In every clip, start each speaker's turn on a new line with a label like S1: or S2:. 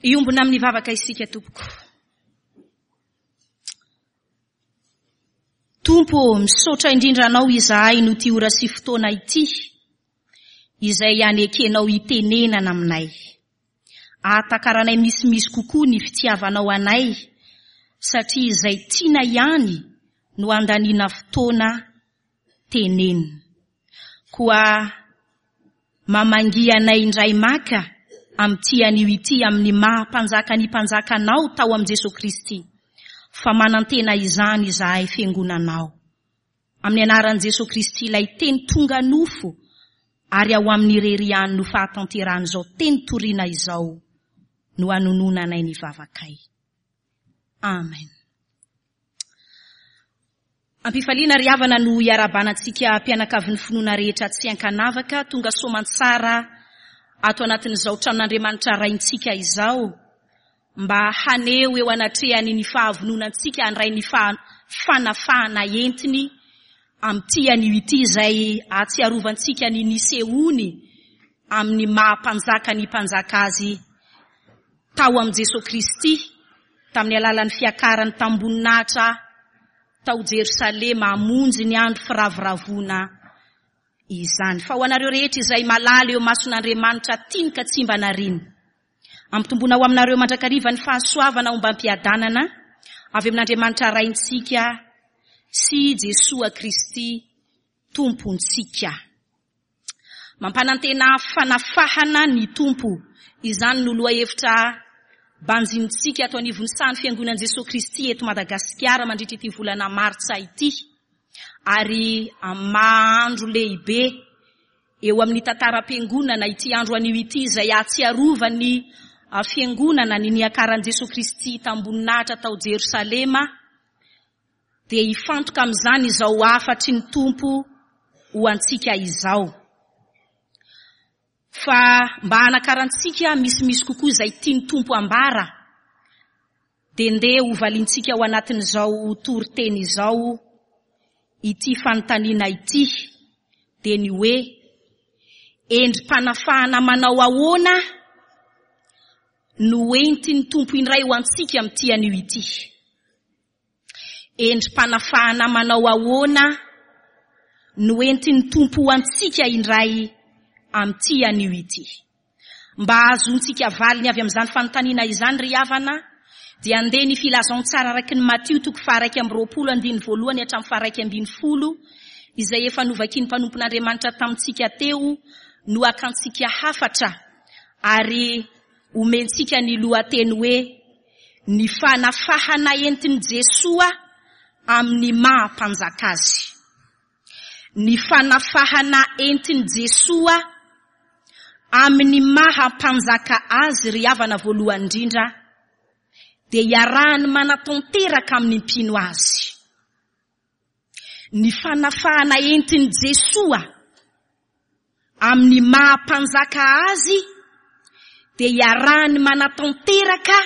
S1: Hiombona amin'ny vavaka isika tompoko. Tompo ô, misaotra indrindra Anao izahay noho ity ora sy fotoana ity, izay anekenao hitenenana aminay. Ahatakaranay misimisy kokoa ny fitiavanao anay, satria izay tiana ihany no andaniana fotoana tenenina. Koa mamangia anay indray maka amin'ity anio ity amin'ny maha Mpanjaka ny Mpanjaka Anao tao amin'i Jesoa Kristy, fa manantena izany izahay Fiangonanao. Amin'ny anaran'i Jesoa Kristy ilay Teny tonga nofo ary ao Aminy irery ihany no fahatanterahan'izao teny toriana izao no anononanay ny vavakay. Amen. Ampifaliana ry havana no iarahabana antsika mpianakavin'ny finoana rehetra tsy ankanavaka tonga soamantsara ato anatin'izao tranon'Andriamanitra Raintsika izao mba haneho eo anatrehany ny fahavononantsika handray ny fanafahana entiny amin'ity anio ity izay ahatsiarovantsika ny nisehoany amin'ny maha mpanjaka ny mpanjaka azy tao amin'i Jesoa Kristy tamin'ny alalan'ny fiakarany tamim-boninahitra tao Jerosalema hamonjy ny andro firavoravoana izany. Fa ho anareo rehetra izay malala eo imason'Andriamanitra tiany ka tsy mba nariany, Ampitomboina ho aminareo mandrakariva ny fahasoavana ombam-piadanana avy amin'Andriamanitra Raintsika sy Jesoa Kristy Tompontsika. Mampanantena fanafahana ny Tompo. Izany no lohahevitra banjinintsika ato anivon'ny sahan'ny Fiangonan'i Jesoa Kristy eto Madagasikara mandritra ity volana Martsa ity. Ary amin'ny maha andro lehibe Eo amin'ny tantaram-piangonana ity andro anio ity izay ahatsiarovan'ny Fiangonana ny niakaran'i Jesoa Kristy tamboninahitra tao Jerosalema dia hifantoka amin'izany izao hafatry ny Tompo ho antsika izao. Fa mba hanakarantsika misimisy kokoa izay tian'ny Tompo ambara dia ndeha hovaliantsika ao anatin'izao toriteny izao ity fanontaniana ity, dia ny hoe, Endri-panafahana manao ahoana no entin'ny Tompo indray ho antsika amin'ity anio ity? Endri-panafahana manao ahoana no entin'ny Tompo ho antsika indray amin'ity anio ity? Mba hahazoantsika valiny avy amin'izany fanontaniana izany ry havana, dia andeha ny Filazantsara araka ny Matio toko faha-21 andininy voalohany hatramin'ny faha-11 izay efa novakian'ny mpanompon'Andriamanitra tamintsika teo no hakantsika hafatra ary omentsika ny lohateny hoe Ny fanafahana entin'i Jesoa amin'ny maha Mpanjaka Azy. Ny fanafahana entin'i Jesoa amin'ny maha Mpanjaka Azy ry havana voalohany indrindra dia iarahany manatanteraka amin'ny mpino Azy. Ny fanafahana entin'i Jesoa amin'ny maha Mpanjaka Azy dia iarahany manatanteraka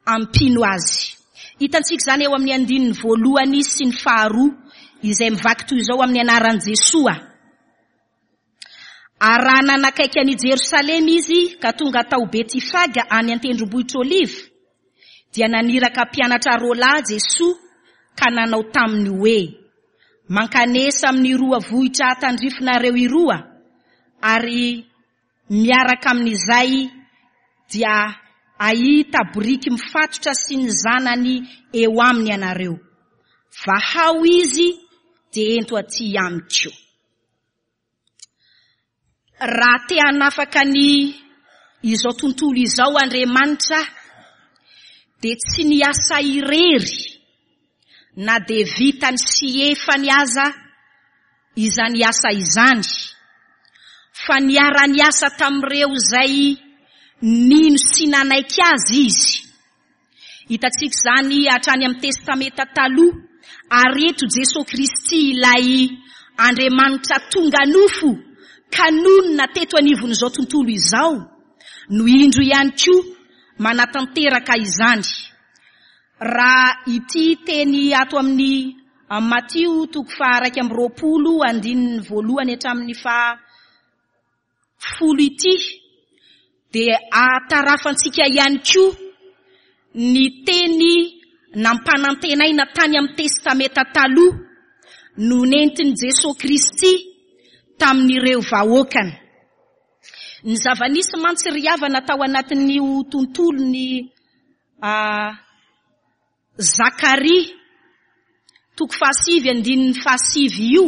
S1: amin'ny mpino Azy. Hitantsika izany eo amin'ny andininy voalohany sy ny faharoa izay mivaky toy izao amin'ny anaran'i Jesoa. Ary raha nanakaiky an'i Jerosalema izy ka tonga tao Betifaga any an-tendrombohitr'Oliva, dia naniraka mpianatra roalahy Jesoa ka nanao taminy hoe, Mankanesa amin'iroa vohitra tandrifinareo iroa, ary miaraka amin'izay dia hahita boriky mifatotra sy ny zanany eo aminy ianareo. Vahao izy dia ento aty amiko. Raha te hanafaka ny izao tontolo izao Andriamanitra dia tsy niasa irery na dia vitany sy efany aza izany asa izany fa niara-niasa tamin'ireo izay nino sy nanaiky azy izy. Hitantsika izany hatrany amin'ny Testamenta Taloha, ary eto Jesoa Kristy ilay Andriamanitra tonga nofo ka nonina teto anivon'izao tontolo izao no indro ihany koa manatanteraka izany. Raha ity teny ato amin'ny Matio toko faha-21 andininy voalohany hatramin'ny faha folo ity. Dia ahatarafantsika ihany koa ny teny nampanantenaina tany amin'ny Testamenta Taloha no nentin'i Jesoa Kristy tamin'ireo vahoakany. Ny zava-nisy mantsy ry havana tao anatin'io tontolon'ny Zakaria, toko fahasivy andininy fahasivy io,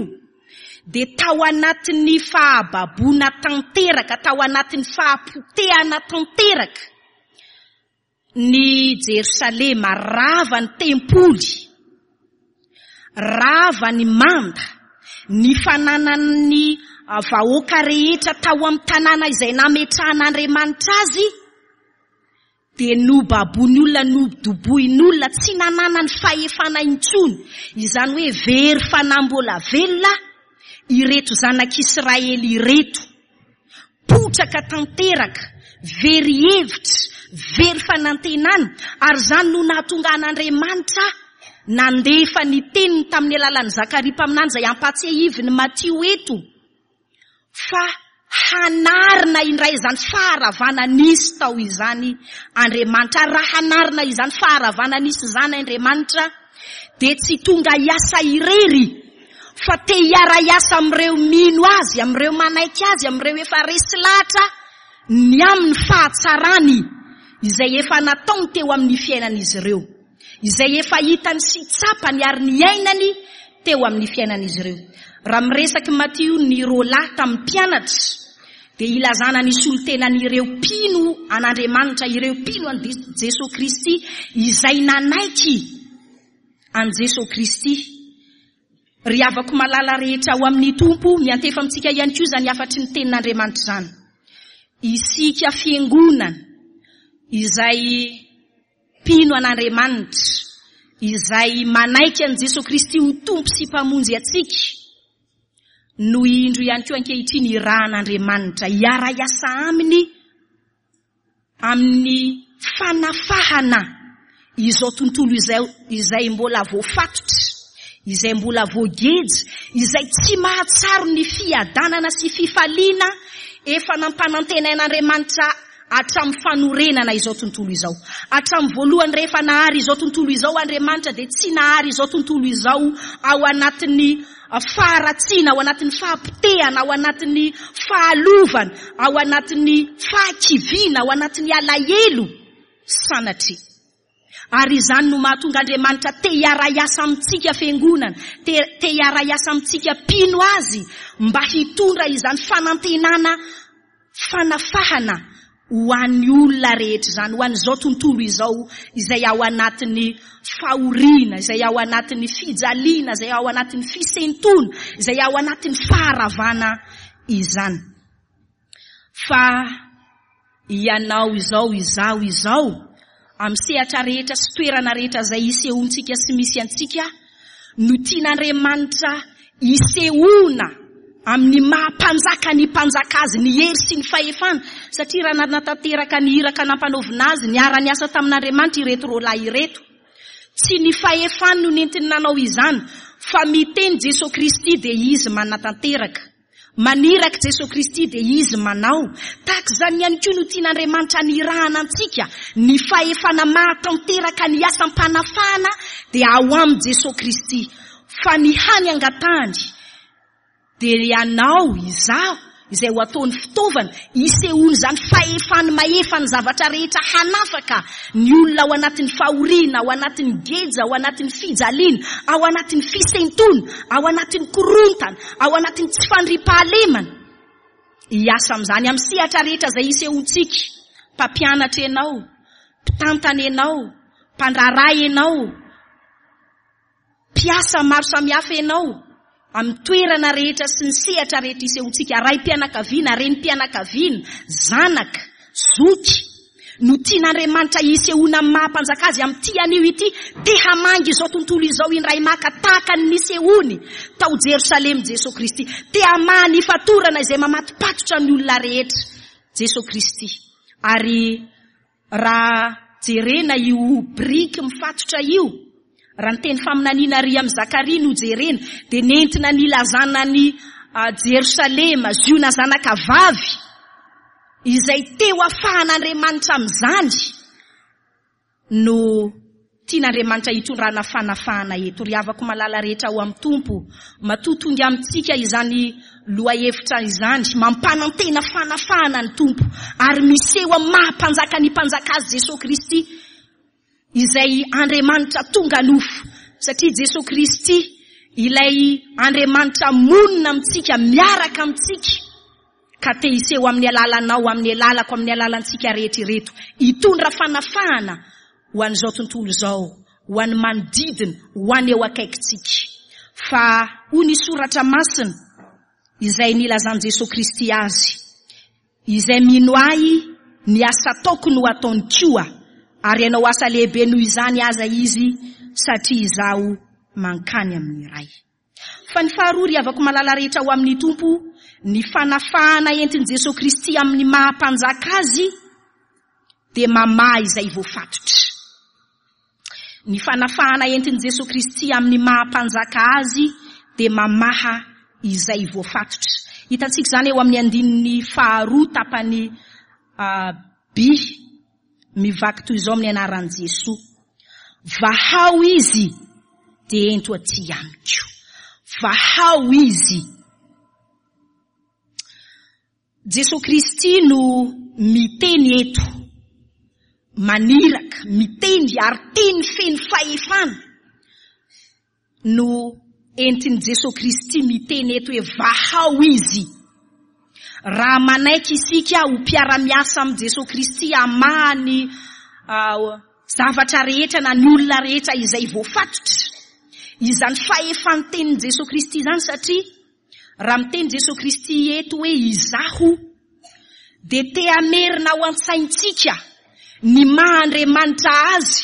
S1: dia tao anatin'ny fahababoana tanteraka, tao anatin'ny fahapotehana tanteraka ny Jerosalema, rava ny tempoly, rava ny manda, ny fananan'ny vahoaka rehetra tao amin'ny tanàna izay nametrahan'Andriamanitra azy, dia nobaboin'ny olona, nodobohin'olona, tsy nananany fahefana intsony, izany hoe very fanahy mbola velona ireto zanak'Israely ireto, potraka tanteraka, very hevitra, very fanantenana, ary izany no nahatonga an'Andriamanitra nandefa ny teniny tamin'ny alalan'i Zakaria mpaminany izay ampahatsiahivin'i Matio eto. fa hanarina indray izany faharavana nisy tao izany Andriamanitra. Ary raha hanarina izany faharavana nisy izany Andriamanitra, dia tsy tonga hiasa irery, fa te hiara-hiasa amin'ireo mino Azy, amin'ireo manaiky Azy, amin'ireo efa resy lahatra ny amin'ny fahatsarany izay efa nataony teo amin'ny fiainan'izy ireo. Izay efa hitany sy tsapany ary niainany teo amin'ny fiainan'izy ireo. Raha miresak'i Matio ny roalahy tamin'ny mpianatra, dia ilazana ny solontenan'ireo mpino an'Andriamanitra, ireo mpino an'i Jesoa Kristy, izay nanaiky an'i Jesoa Kristy. Ry havako malala rehetra ao amin'ny Tompo, miantefa amintsika ihany koa izany hafatry ny Tenin'Andriamanitra izany. Isika Fiangonana izay Mpino an'Andriamanitra, izay manaiky an'i Jesoa Kristy ho Tompo sy Mpamonjy antsika, no indro ihany koa ankehitriny irahan'Andriamanitra hiara-hiasa Aminy amin'ny fanafahana izao tontolo izao izay mbola voafatotra, izay mbola voageja, izay tsy mahatsaro ny fiadanana sy fifaliana efa nampanantenain'Andriamanitra hatramin'ny fanorenana izao tontolo izao. Hatramin'ny voalohany rehefa nahary izao tontolo izao Andriamanitra dia tsy nahary izao tontolo izao ao anatin'ny faharatsiana, ao anatin'ny fahapotehana, ao anatin'ny fahalovana, ao anatin'ny fahakiviana, ao anatin'ny alahelo sanatria. Ary izany no mahatonga Andriamanitra te hiara-hiasa amintsika fiangonana, te te hiara-hiasa amintsika mpino Azy mba hitondra izany fanantenana fanafahana ho an'ny olona rehetra izany, ho an'izao tontolo izao izay ao anatin'ny fahoriana, izay ao anatin'ny fijaliana, izay ao anatin'ny fisentoana, izay ao anatin'ny faharavana izany. Fa ianao izao, izaho izao, amin'ny sehatra rehetra sy toerana rehetra izay isehoantsika sy misy antsika, no tian'Andriamanitra hisehoana amin'ny maha mpanjaka ny mpanjaka azy, ny hery sy ny fahefana, satria raha nanatanteraka ny iraka nampanaovina azy, niara-niasa tamin'Andriamanitra ireto roalahy ireto. Tsy ny fahefany no nentiny nanao izany, fa miteny Jesoa Kristy dia Izy manatanteraka. Maniraka Jesoa Kristy dia Izy manao. Tahaka izany ihany koa no tian'Andriamanitra anirahana antsika, ny fahefana mahatanteraka ny asam-panafahana dia ao amin'i Jesoa Kristy. Fa ny hany angatahany dia ianao, izaho, izay ho ataony fitaovana, hisehoan'izany fahefany mahefa ny zavatra rehetra hanafaka ny olona ao anatin'ny fahoriana, ao anatin'ny geja, ao anatin'ny fijaliana, ao anatin'ny fisentoana, ao anatin'ny korontana, ao anatin'ny tsy fandriampahalemana. Hiasa amin'izany amin'ny sehatra rehetra izay isehoantsika. Mpampianatra ianao, mpitantana ianao, mpandraharaha ianao, Mpiasa maro samihafa ianao amin'ny toerana rehetra sy ny sehatra rehetra isehoantsika, raim-pianakaviana, renim-pianakaviana, zanaka, zoky, no tian'Andriamanitra hisehoana amin'ny maha-mpanjaka azy amin'ity anio ity, te hamangy izao tontolo izao indray maka tahaka ny nisehoany tao Jerosalema Jesoa Kristy, te hamaha ny fatorana izay mamatopatotra ny olona rehetra Jesoa Kristy. Ary Raha jerena io biriky mifatotra io, raha ny teny faminaniana ary amin'i Zakaria no jerena, dia nentina nilazana an'i Jerosalema, Ziona zanaka vavy. izay te ho afahan'Andriamanitra amin'izany no tian'Andriamanitra hitondrana fanafahana eto. Ry havako malala rehetra ao amin'ny Tompo, matoa tonga amintsika izany lohahevitra izany, mampanantena fanafahana ny Tompo, ary miseho amin'ny maha Mpanjaka ny Mpanjaka Azy Jesoa Kristy, izay Andriamanitra tonga nofo, satria Jesoa Kristy ilay Andriamanitra monina amintsika, miaraka amintsika, ka te hiseho amin'ny alalanao, amin'ny alalako, amin'ny alalantsika rehetra ireto, hitondra fanafahana ho an'izao tontolo izao, ho an'ny manodidina, ho an'ny eo akaikintsika. Fa hoy ny soratra masina izay nilazan'i Jesoa Kristy azy, Izay mino Ahy, ny asa ataoko no ataony koa, ary hanao asa lehibe noho izany aza izy, satria Izaho mankany amin'ny Ray. Fa ny faharoa, ry havako malala rehetra ao amin'ny Tompo, ny fanafahana entin'i Jesoa Kristy amin'ny maha Mpanjaka Azy dia mamaha izay voafatotra. Ny fanafahana entin'i Jesoa Kristy amin'ny maha Mpanjaka Azy dia mamaha izay voafatotra. Hitantsika izany eo amin'ny andininy faharoa tapany B, mivaky toy izao amin'ny anaran'i Jesoa. Vahao izy dia ento aty amiko. Vahao izy. Jesoa Kristy no miteny eto, maniraka, miteny ary teny feno fahefana no entin'i Jesoa Kristy miteny eto hoe vahao izy. Raha manaiky isika ho mpiara-miasa amin'i Jesoa Kristy hamaha ny zavatra rehetra na ny olona rehetra izay voafatotra, izany fahefan'ny tenin'i Jesoa Kristy izany satria Raha miteny Jesoa Kristy eto hoe Izaho, dia te hamerina ao an-tsaintsika ny maha Andriamanitra Azy,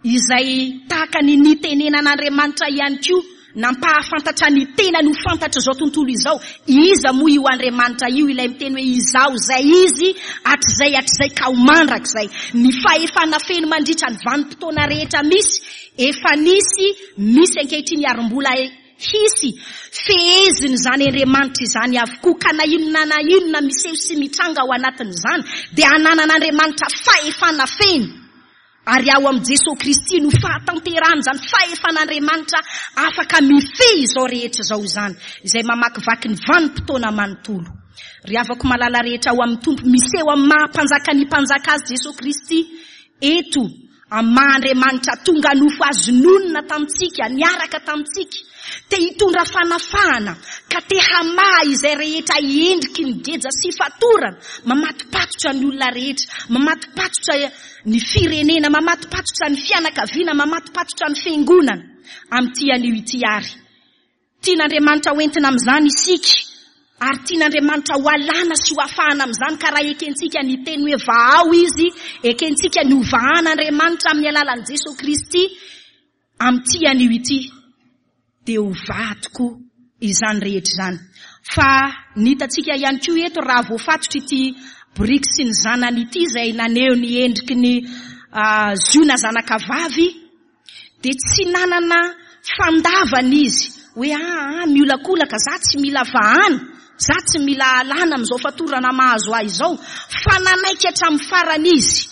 S1: izay tahaka ny nitenenan'Andriamanitra ihany koa nampahafantatra ny tenany ho fantatr'izao tontolo izao. Iza moa io Andriamanitra io, ilay miteny hoe Izaho izay Izy hatrizay hatrizay ka ho mandrakizay. Ny fahefana feno mandritra ny vanim-potoana rehetra misy, efa nisy, misy ankehitriny ary mbola Hisy feheziny izany Andriamanitra izany avokoa, ka na inona na inona miseho sy mitranga ao anatin'izany dia ananan'Andriamanitra fahefana feno, ary ao amin'i Jesoa Kristy no fahatanterahan'izany fahefan'Andriamanitra afaka mifehy izao rehetra izao izany, izay mamakivaky ny vanim-potoana manontolo. Ry havako malala rehetra ao amin'ny Tompo, miseho amin'ny maha Mpanjaka ny Mpanjaka Azy Jesoa Kristy eto, Amin'ny maha Andriamanitra tonga nofo azy nonina tamintsika, niaraka tamintsika, te hitondra fanafahana ka te hamaha izay rehetra endriky ny geja sy fatorana mamatopatotra ny olona rehetra, mamatopatotra ny firenena, mamatopatotra ny fianakaviana, mamatopatotra ny fiangonana amin'ity anio ity ary. Tian'Andriamanitra ho entina amin'izany isika, ary tian'Andriamanitra ho alana sy ho afahana amin'izany, ka raha ekentsika ny teny hoe vahao Izy, ekentsika ny ho vahan'Andriamanitra amin'ny alalan'i Jesoa Kristy amin'ity anio ity, dia ho vaha tokoa izany rehetra izany. Fa ny hitantsika ihany koa eto, raha voafatotra ity boriky sy ny zanany ity, izay naneho ny endriky ny Ziona zanakavavy, Dia tsy nanana fandavana izy hoe aa miolakolaka za tsy mila vahana, za tsy mila alana amin'izao fatorana mahazo ahy izao, fa nanaiky hatramin'ny farany izy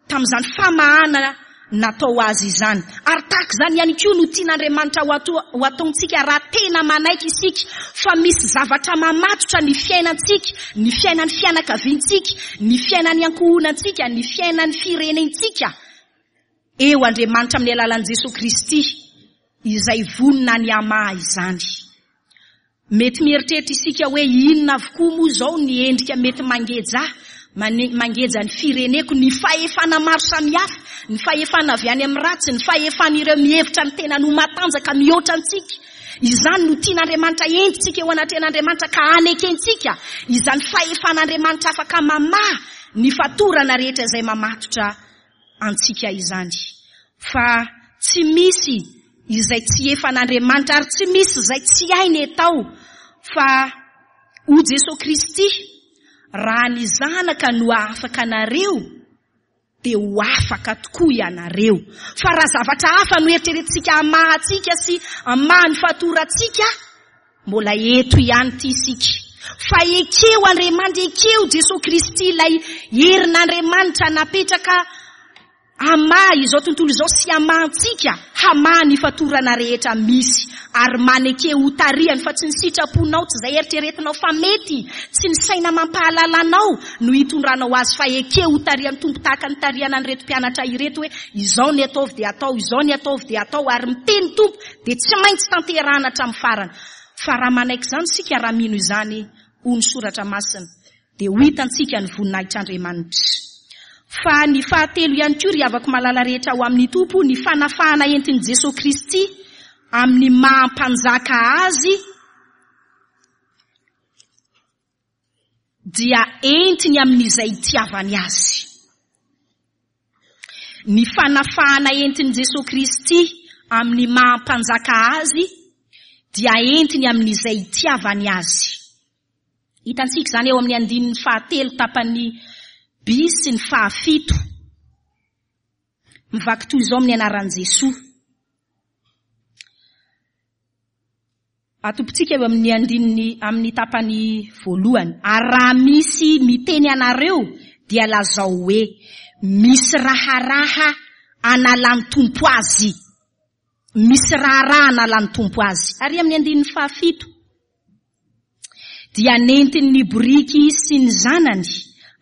S1: tamin'izany famahana natao azy izany. Ary tahaka izany ihany koa no tian'Andriamanitra ho ataontsika raha tena manaiky isika fa misy zavatra mamatotra ny fiainantsika, ny fiainan'ny fianakaviantsika, ny fiainan'ny ankohonantsika, ny fiainan'ny firenentsika. Eo Andriamanitra amin'ny alalan'i Jesoa Kristy izay vonona ny hamaha izany. Mety mieritreritra isika hoe inona avokoa moa izao ny endrika mety mangeja ahy, mangeja ny fireneko, ny fahefana maro samihafa, ny fahefana avy any amin'ny ratsy, ny fahefan'ireo mihevitra ny tenany ho matanjaka mihoatra antsika. Izany no tian'Andriamanitra entintsika eo anatrehan'Andriamanitra ka hanekentsika izany fahefan'Andriamanitra afaka mamaha ny fatorana rehetra izay mamatotra antsika izany fa tsy misy izay tsy efan'Andriamanitra ary tsy misy izay tsy hainy atao fa ho Jesoa Kristy raha ny zanaka no hahafaka anareo dia ho afaka tokoa ianareo fa raha zavatra hafa no eritreretintsika hamaha antsika sy hamaha ny fatorantsika Mbola eto ihany ity isika. Fa ekeo Andriamanitra, ekeo Jesoa Kristy ilay herin'Andriamanitra napetraka hamaha izao tontolo izao sy hamaha antsika, hamaha ny fatorana rehetra misy ary maneke ho tarihany fa tsy ny sitraponao, tsy izay eritreretinao fa mety, tsy ny saina mampahalala anao no hitondranao azy fa ekeo ho tarihan'ny Tompo tahaka ny tarihana an'ireto mpianatra ireto hoe izao ny ataovy dia atao, izao ny ataovy dia atao ary miteny Tompo dia tsy maintsy tanterahana hatramin'ny farany. Fa raha manaiky izany isika, raha mino izany, hoy ny Soratra Masina, dia ho hitantsika ny voninahitr'Andriamanitra. Fa ny fahatelo ihany koa, ry havako malala rehetra ao amin'ny Tompo, ny fanafahana entin'i Jesoa Kristy amin'ny maha Mpanjaka Azy dia entiny amin'izay itiavany Azy. Ny fanafahana entin'i Jesoa Kristy amin'ny maha Mpanjaka Azy dia entiny amin'izay itiavany Azy. Hitantsika izany eo amin'ny andininy fahatelo tapany B sy ny fahafito. Mivaky toy izao amin'ny anaran'i Jesoa. Atompontsika eo amin'ny andininy amin'ny tapany voalohany. Ary raha misy miteny anareo dia lazao hoe, misy raharaha analan'ny Tompo azy. Misy raharaha analan'ny Tompo azy. Ary amin'ny andininy fahafito. Dia nentiny ny boriky sy ny zanany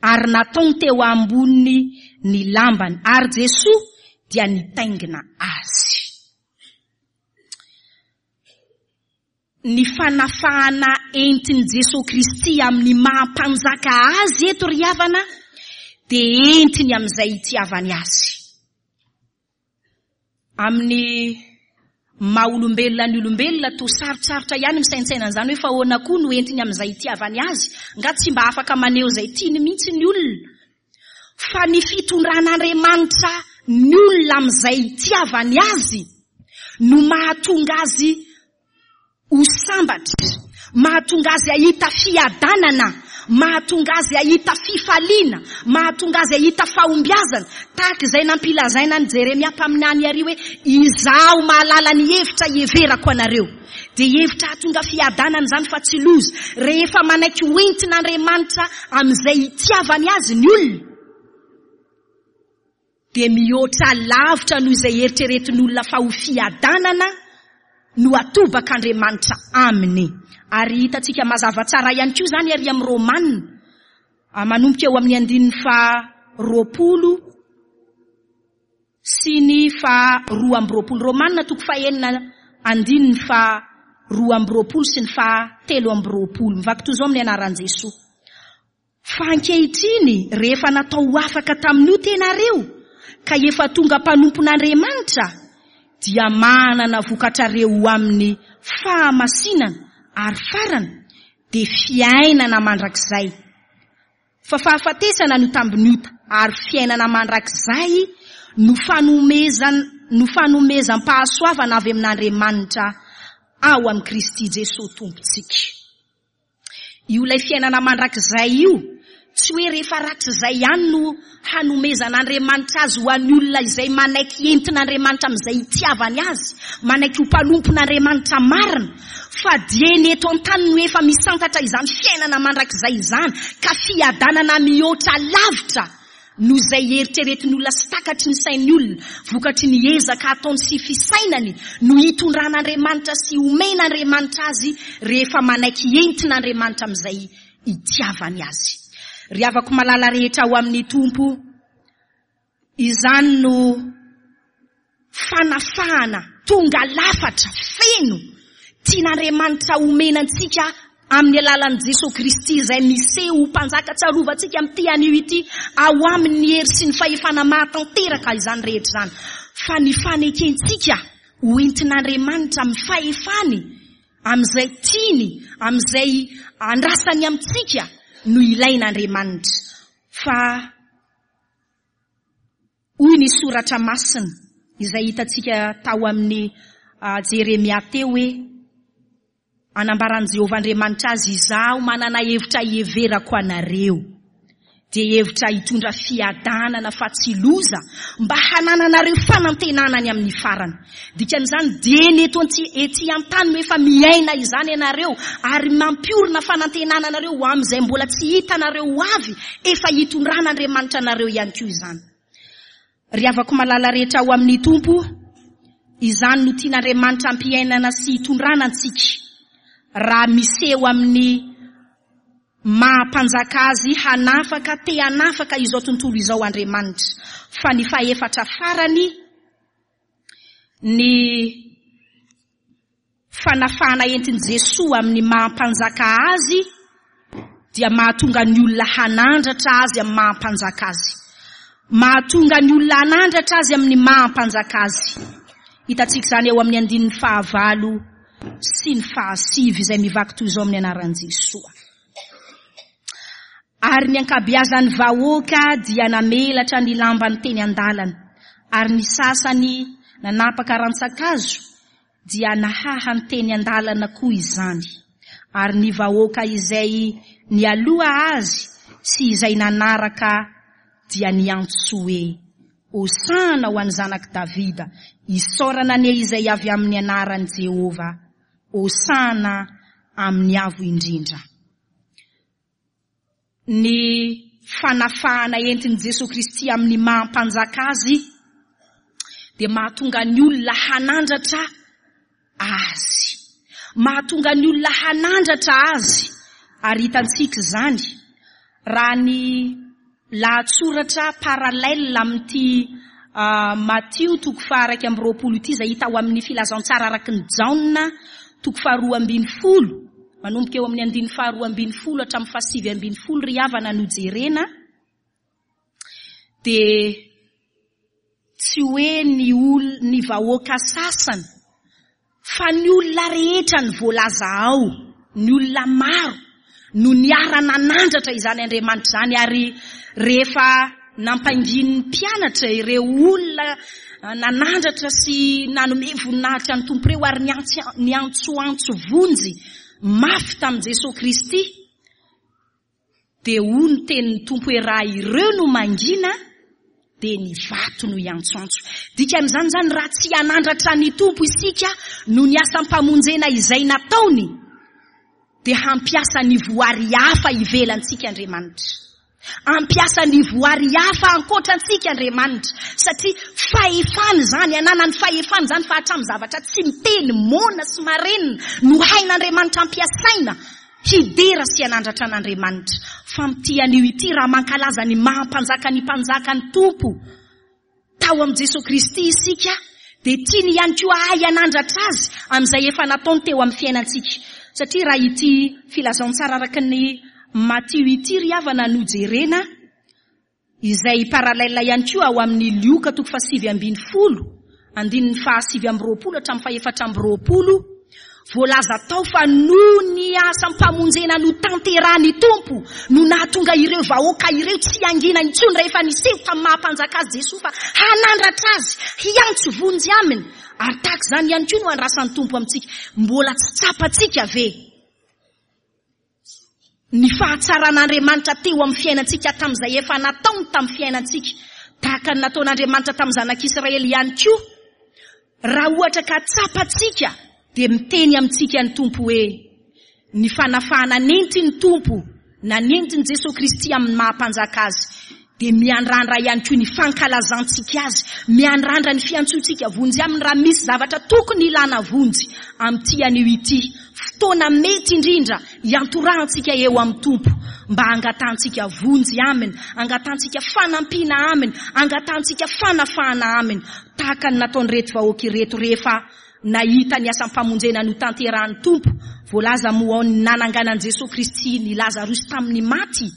S1: ary nataony teo amboniny ny lambany, ary Jesoa dia nitaingina azy. Ny fanafahana entin'i Jesoa Kristy amin'ny maha Mpanjaka Azy eto ry havana dia entiny amin'izay itiavany Azy. Amin'ny maha olombelona ny olombelona toa sarotsarotra ihany misaintsaina an'izany hoe fa ahoana koa no entiny amin'izay itiavany azy? Nga tsy mba afaka maneho izay tiany mihitsy ny olona? Fa ny fitondran'Andriamanitra ny olona amin'izay itiavany azy no mahatonga azy ho sambatra, mahatonga azy hahita fiadanana, mahatonga azy hahita fifaliana, mahatonga azy hahita fahombiazana, tahaka izay nampilazaina an'i Jeremia mpaminany àry hoe, Izaho mahalala ny hevitra iheverako anareo. Dia hevitra hahatonga fiadanana izany fa tsy loza. Rehefa manaiky hoentin'Andriamanitra amin'izay itiavany azy ny olona, dia mihoatra lavitra noho izay eritreretin'olona fa ho fiadanana no atobak'Andriamanitra aminy. Ary hitantsika mazava tsara ihany koa izany ary amin'ny Romana, manomboka eo amin'ny andininy faha 20 sy ny faha 22. Romana toko fahenina andininy faha 22 sy ny faha 23. Mivaky toy izao amin'ny anaran'i Jesoa. Fa ankehitriny, rehefa natao ho afaka tamin'io tenareo, ka efa tonga mpanompon'Andriamanitra, dia manana vokatrareo ho amin'ny fahamasinana, ary farany, dia fiainana mandrakizay. Fa fahafatesana no tambin'ny ota, ary fiainana mandrakizay no fanomezan no fanomezam-pahasoavana avy amin'Andriamanitra ao amin'i Kristy Jesoa Tompontsika. Io ilay fiainana mandrakizay io, tsy hoe rehefa ratr'izay ihany no hanomezan'Andriamanitra azy ho an'ny olona izay manaiky entin'Andriamanitra amin'izay itiavany azy, manaiky ho mpanompon'Andriamanitra marina, fa dieny eto an-tany no efa misantatra izany fiainana mandrakizay izany, ka fiadanana mihoatra lavitra noho izay eritreretin'ny olona sy takatry ny sain'ny olona, vokatry ny ezaka ataony sy fisainany no hitondran'Andriamanitra sy omen'Andriamanitra azy rehefa manaiky entin'Andriamanitra amin'izay itiavany azy. Ry havako malala rehetra ao amin'ny Tompo, izany no fanafahana tonga lafatra, feno, tian'Andriamanitra homena antsika amin'ny alalan'i Jesoa Kristy izay miseho ho Mpanjaka tsarovantsika amin'ity anio ity, ao aminy ny hery sy ny fahefana mahatanteraka izany rehetra izany. Fa ny fanekentsika ho entin'Andriamanitra amin'ny fahefany, amin'izay tiany, amin'izay andrasany amintsika no ilain'Andriamanitra. Fa. Hoy ny Soratra Masina izay hitantsika tao amin'ny Jeremia teo hoe, Anambaran'i Jehovah Andriamanitra azy, Izaho manana hevitra hiheverako anareo. Dia hevitra hitondra fiadanana fa tsy loza, mba hanananareo fanantenana any amin'ny farany. Dikan'izany, dieny eto ety an-tany no efa miaina izany ianareo, ary mampiorina fanantenana anareo ho amin'izay mbola tsy hitanareo ho avy, efa hitondran'Andriamanitra anareo ihany koa izany. Ry havako malala rehetra ao amin'ny Tompo, izany no tian'Andriamanitra hampiainana sy hitondrana antsika, raha miseho amin'ny Maha mpanjaka azy hanafaka te hanafaka izao tontolo izao Andriamanitra. Fa ny fahefatra farany, ny fanafahana entin'i Jesoa amin'ny maha mpanjaka azy dia mahatonga ny olona hanandratra azy amin'ny maha mpanjaka azy. Mahatonga ny olona hanandratra azy amin'ny maha mpanjaka azy. Hitantsika izany eo amin'ny andininy fahavalo sy ny fahasivy izay mivaky toy izao amin'ny anaran'i Jesoa. Ary ny ankabeazan'ny vahoaka dia namelatra ny lambany teny an-dalana, ary ny sasany nanapaka rantsan-kazo dia nahahany teny an-dalana koa izany. Ary ny vahoaka izay nialoha azy sy izay nanaraka dia niantso hoe, Hosana ho an'ny Zanak'i Davida, isaorana anie izay avy amin'ny anaran'i Jehovah, Hosana amin'ny Avo Indrindra. Ny fanafahana entin'i Jesoa Kristy amin'ny maha Mpanjaka Azy dia mahatonga ny olona hanandratra Azy. Mahatonga ny olona hanandratra Azy. Ary hitantsika izany raha ny lahatsoratra parallèle amin'ity Matio toko faha-21 ity izay hita ao amin'ny Filazantsara araka ny Jaona toko faha-12, manomboka eo amin'ny andininy faha-12 hatramin'ny faha-19 ry havana no jerena, dia tsy hoe ny ol ny vahoaka sasany fa ny olona rehetra ny voalaza ao, ny olona maro no niara-nanandratra izany Andriamanitra izany ary rehefa nampanginin'ny mpianatra ireo olona nanandratra sy nanome voninahitra ny Tompo ireo ary niantsoantso vonjy mafy tamin'i Jesoa Kristy, Dia hoy ny tenin'ny Tompo hoe raha ireo no mangina dia ny vato no hiantsoantso. Dikan'izany izany raha tsy hanandratra ny Tompo isika noho ny asam-pamonjena izay nataony dia hampiasa ny voary hafa ivelantsika Andriamanitra. Hampiasa ny voary hafa ankoatra antsika Andriamanitra satria fahefany izany, ananany fahefana izany fa hatramin'ny zavatra tsy miteny, moana sy marenina no hain'Andriamanitra ampiasaina Hidera sy hanandratra an'Andriamanitra. Fa amin'ity anio ity, raha mankalaza ny maha Mpanjaka ny mpanjaka ny Tompo tao amin'i Jesoa Kristy isika, dia tiany ihany koa hahay hanandratra Azy amin'izay efa nataony teo amin'ny fiainantsika. Satria raha ity filazantsara araka ny Matio ity ry havana no jerena, Izay parallèle ihany koa ao amin'ny Lioka toko faha-19, andininy faha-29 hatramin'ny faha-24, voalaza tao fa noho ny asam-pamonjena notanterahin'ny Tompo no nahatonga ireo vahoaka ireo tsy hangina intsony rehefa niseho tamin'ny maha-mpanjaka azy Jesoa fa hanandratra azy, hiantso vonjy aminy. Ary tahaka izany ihany koa no andrasan'ny Tompo amintsika. Mbola tsy tsapantsika ve? Ny fahatsaran'Andriamanitra teo amin'ny fiainantsika tamin'izay efa nataony tamin'ny fiainantsika, tahaka ny nataon'Andriamanitra tamin'ny zanak'Israely ihany koa. Raha ohatra ka tsapantsika dia miteny amintsika ny Tompo hoe, ny fanafahana nentin'ny Tompo na nentin'i Jesoa Kristy amin'ny maha-mpanjaka Azy dia miandrandra ihany koa ny fankalazantsika azy, miandrandra ny fiantsoantsika vonjy aminy raha misy zavatra tokony ilana vonjy amin'ity anio ity, fotoana mety indrindra hiantorahantsika eo amin'ny Tompo mba hangatahantsika vonjy aminy, hangatahantsika fanampiana aminy, hangatahantsika fanafahana aminy, tahaka ny nataon'ireto vahoaka ireto rehefa nahita ny asam-pamonjena notanterahan'ny Tompo, voalaza moa ao ny nananganan'i Jesoa Kristy ny Lazarosy tamin'ny maty.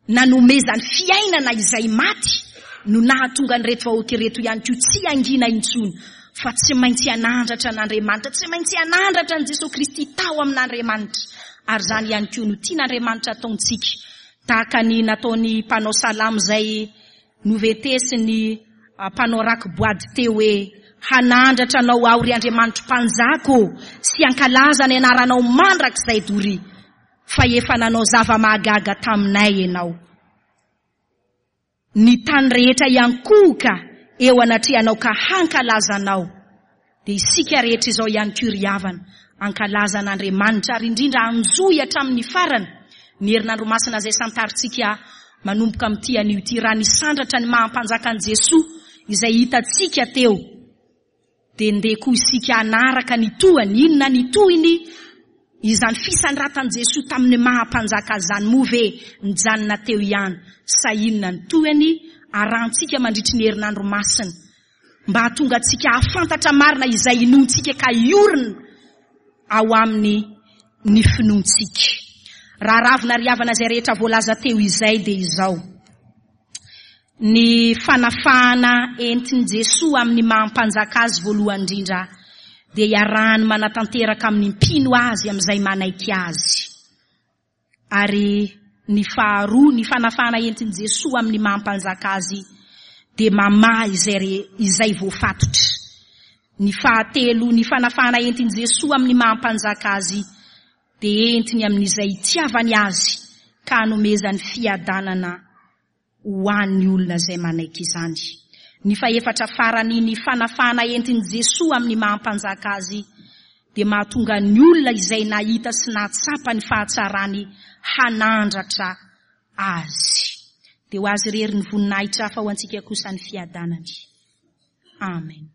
S1: Nanomezany fiainana izay maty no nahatonga an'ireto vahoaka ireto ihany koa tsy hangina intsony fa tsy maintsy hanandratra an'Andriamanitra, tsy maintsy hanandratra an'i Jesoa Kristy tao amin'Andriamanitra. Ary izany ihany koa no tian'Andriamanitra ataontsika, tahaka ny nataon'ny mpanao salamo izay noventesin'ny mpanao raki-boady teo hoe, Hanandratra Anao aho, ry Andriamanitro Mpanjaka ô, sy hankalaza ny anaranao mandrakizay doria. Fa efa nanao zava-mahagaga taminay Ianao. Ny tany rehetra hiankohoka eo anatrehanao ka hankalaza Anao. Dia isika rehetra izao ihany koa ry havana, hankalaza an'Andriamanitra ary indrindra hanjohy hatramin'ny farany ny herinandro masina izay santarintsika manomboka amin'ity anio ity raha nisandratra ny maha mpanjaka an'i Jesoa izay hitantsika teo dia ndeha koa isika hanaraka ny tohiny, inona ny tohiny izany fisandratan'i Jesoa tamin'ny maha mpanjaka azy izany moa ve nijanona teo ihany sa inona ny tohiny arahantsika mandritry ny herinandro masina mba hahatonga antsika hahafantatra marina izay inoantsika ka hiorina ao aminy ny finoantsika. Raha ravina ry havana izay rehetra voalaza teo izay dia izao, ny fanafahana entin'i Jesoa amin'ny maha mpanjaka azy voalohany indrindra dia iarahany manatanteraka amin'ny mpino azy amin'izay manaiky azy. Ary ny faharoa, ny fanafahana entin'i Jesoa amin'ny maha mpanjaka azy dia mamaha izay re, izay voafatotra. Ny fahatelo, ny fanafahana entin'i Jesoa amin'ny maha mpanjaka azy dia entiny amin'izay itiavany azy ka anomezany fiadanana ho an'ny olona izay manaiky izany. Ny fahefatra farany, ny fanafahana entin'i Jesoa amin'ny maha Mpanjaka Azy dia mahatonga ny olona izay nahita sy nahatsapa ny fahatsarany hanandratra Azy. Dia ho Azy irery ny voninahitra fa ho antsika kosa ny fiadanany. Amen.